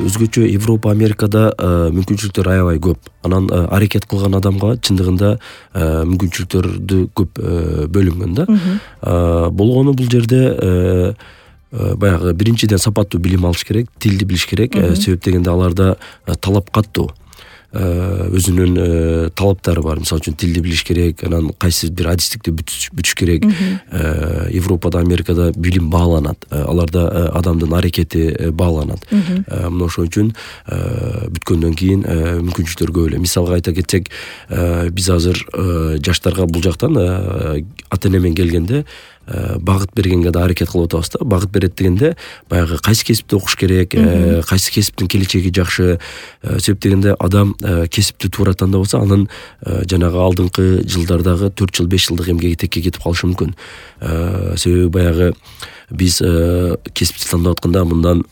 өзгөчө Европа, Америкада мүмкүнчүлүктөр аябай көп. Анан аракет кылган адамга чындыгында мүмкүнчүлүктөрдү көп бөлүнгөн да. Болгону бул жерде баягы биринчиден сапаттуу билим алыш керек, тилди билиш керек. Себеп дегенде аларда талап каттуу. Өзүнүн талаптары бар. Мисалы үчүн тилди билиш керек, анан кайсы бир адистикти бүтүш керек. Европада, Америкада билим бааланат. Аларда адамдын аракети бааланат. Мына ошон үчүн бүткөндөн кийин мүмкүнчүлүктөр көп эле. Мисалга айта кетсек, биз азыр жаштарга бул жактан ата-эне менен келгенде багыт бергенге да аракет кылып атабыз да. Багыт берет дегенде баягы кайсы кесипти окуш керек, кайсы кесиптин келечеги жакшы. Себеп дегенде адам кесипти туура тандап алса, анын жанагы алдыңкы жылдардагы 4 жыл 5 жылдык эмгеги текке кетип калышы мүмкүн. Себеби баягы биз кесипти тандап атканда мындан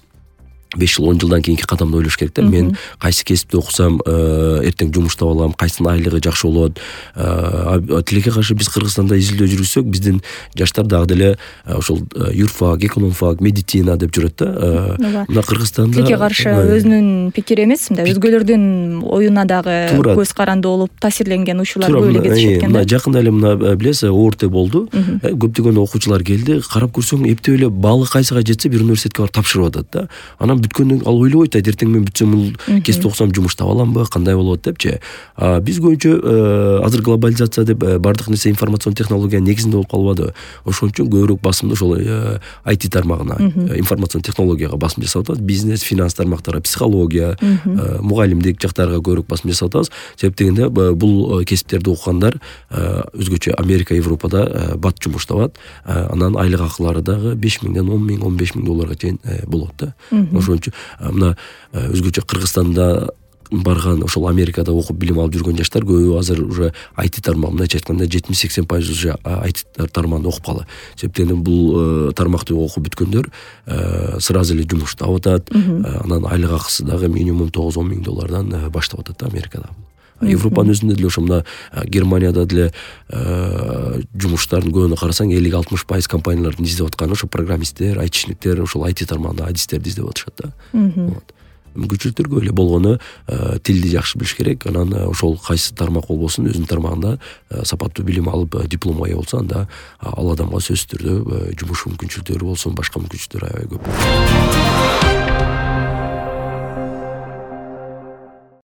5 жыл 10 жылдан кийинки кадамды ойлош керек да. Мен кайсы кесипти окусам эртең жумуш таба алам, кайсынын айлыгы жакшы болот. Тилекке каршы биз Кыргызстанда изилдөө жүргүзсөк, биздин жаштар дагы деле ошол юрфак, экономфак, медицина деп жүрөт да. Мына Кыргызстанда тилекке каршы өзүнүн пикири эмес, мындай өзгөлөрдүн оюна дагы көз каранды болуп таасирленген учурлар көп эле кездешет экен да. Жакында эле мына билесиз, ОРТ болду. Көптөгөн окуучулар келди, карап көрсөң, эптеп эле баалы кайсыга жетсе бир университетке барып тапшырып атат да. Анан бүткөндөн ал ойлобойт, эртең мен бүтсөм бул кесипти окусам жумуш таба аламбы, кандай болот депчи. Биз көбүнчө азыр глобализация деп бардык нерсе информацион технологиянын негизинде болуп калбады. Ошон үчүн көбүрөөк басымды ошол IT тармагына, информацион технологияга басым жасап атабыз. Бизнес, финанс тармактарга, психология, мугалимдик жактарга көбүрөөк басым жасап атабыз. Себеп дегенде бул кесиптерди окугандар өзгөчө Америка, Европада бат жумуш табат. Анан айлык акылары дагы 5 миңден 10 миң, 15 миң долларга чейин болот да. Ошон үчүн мына өзгөчө Кыргызстанда барган, ошол Америкада окуп билим алып жүргөн жаштар көбү азыр уже IT тармагында мындайча айтканда 70-80% уже IT тармагында окуп калды. Себеп дегенде бул тармакты окуп бүткөндөр сразу эле жумуш таап атат. Анан айлык акысы дагы минимум 9-10 миң доллардан баштап атат да Америкада. Европанын өзүндө деле ошо мына Германияда деле жумуштардын көбүнө карасаң 50-60% компаниялардын издеп атканы ошо программисттер, айтишниктер, ошол IT тармагында адистерди издеп атышат да. Мүмкүнчүлүктөр көп эле. Болгону тилди жакшы билиш керек. Анан ошол кайсы тармак болбосун өзүнүн тармагында сапаттуу билим алып дипломго ээ болсо, анда ал адамга сөзсүз түрдө жумуш мүмкүнчүлүктөрү болсун, башка мүмкүнчүлүктөр аябай көп.